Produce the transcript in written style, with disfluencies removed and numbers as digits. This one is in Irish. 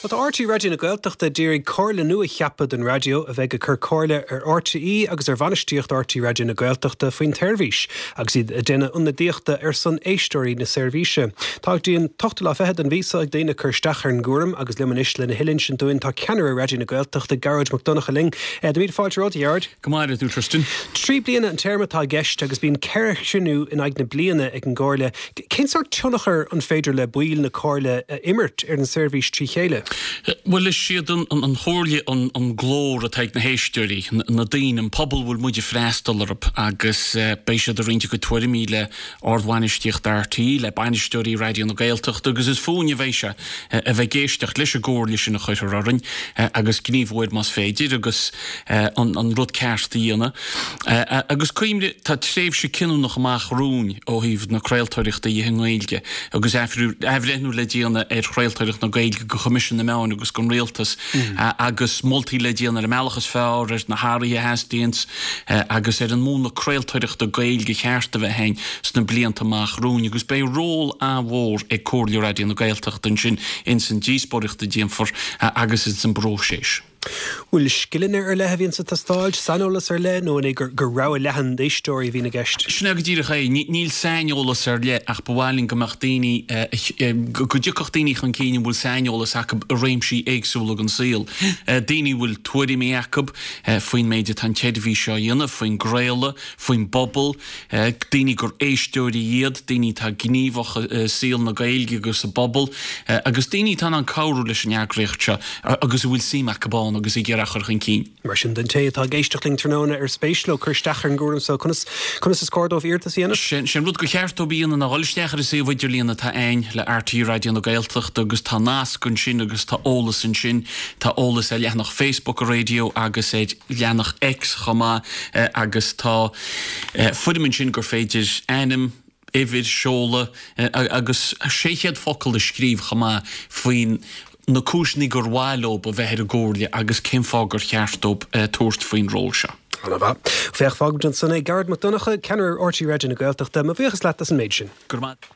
Bhuel tá RTÉ Raidió na Gaeltachta d'iarraidh comhairle nua a cheapadh don raidió a bheidh ag cur comhairle ar RTÉ agus ar bhainistíocht RTÉ Raidió na Gaeltachta faoin tseirbhís agus iad ag déanamh ionadaíochta ar son éisteoirí na seirbhíse. Tá go dtí an t-ochtú lá fichead den mhí seo ag daoine cur isteach ar an gcúram agus liom anois lena thuilleadh a insint dúinn tá ceannaire Raidió na Gaeltachta, Gearóid Mac Donncha linn. Do mhíle fáilte romhat, a Ghearóid. Go maire tú, Tristan. 3 bliana an téarma atá i gceist agus bíonn 4 chruinniú in aghaidh na bliana ag an gComhairle. Cén sórt tionchar an féidir le baill na Comhairle a imirt ar an seirbhís trí chéile? Bhuel, is iad an Chomhairle an glór atá ag na héisteoirí, na daoine, an pobal a bhfuil muid ag freastal orthu agus beidh siad ag roinnt a gcuid tuairimí le ardbhainistíocht RTÉ, le bainisteoirí Raidió na Gaeltachta agus is fúinne a bheidh sé a bheith ag éisteacht leis an gcomhairle sin a chuirfear orainn agus gníomhú air más féidir agus an rud ceart a dhéanamh. Agus cuimhnigh, tá tréimhse cinniúnach amach romhainn ó thaobh na craoltóireachta dhe i nGaeilge agus athbhreithniú le déanamh ar chraoltóireacht na Gaeilge go Choimisiún na Meán agus don Rialtas agus moltaí le déanamh ar an mbealach is fearr, ar na hathruithe a theastaíonns agus ar an múnla craoltóireachta Gaeilge cheart a bheith againn sna blianta amach romhainn agus beidh ról an-mhór ag Comhairle Raidió na Gaeltachta ansin ins an díospóireacht a déanfar agus ins an bpróiseas. Bhfuil scileanna ar leith a bhíonn ag teastáil, saineolas ar leith, nó an é gur rogha leathan d'éisteoirí a bhíonn i gceist? Sin é go díreach é. Níl saineolas ar leith ach ba mhaith linn go mbeadh daoine, go dtiocfadh daoine chun cinn a bhfuil saineolas acu i réimsí éagsúla den saol. Daoine a bhfuil tuairimí acu faoin méid atá an tseirbhís seo a dhéanamh, faoin gcraoladh, faoin bpobal, daoine gur éisteoirí iad, daoine atá gníomhach i saol na Gaeilge agus sa bpobal, agus daoine atá in ann cabhrú leis an eagraíocht seo agus a bhfuil suim acu ann agus ag iarraidh é a chur chun cinn. Mar sin, don té atá ag éisteacht linn tráthnóna ar spéis leo cur isteach ar an gcúram seo, conas, conas is cóir dóibh iarratas a dhéanamh? Sé an rud gur cheart dóibh a dhéanamh ná dhul isteach ar an suíomh idirlíon atá a'ainn le RTÉ Raidió na Gaeltachta agus tá nasc ansin agus tá eolas ansin, tá eolas ar leathanach Facebook an raidió agus ar leathanach X chomh maith agus tá foirm ansin gur féidir ainm, uimhir, seoladh agus 600 focal a scríobh chomh maith faoin na cúiseanna gur mhaith leo a bheith ar an gComhairle agus cén fáth gur cheart dóibh tabhairt faoin ról seo. Ana-mhaith. Féach, fágfaimid ansan é. Gearóid Mac Donncha, Ceannaire RTÉ Raidió na Gaeltachta, mo bhuíochas leat as an méid sin. Go raibh maith.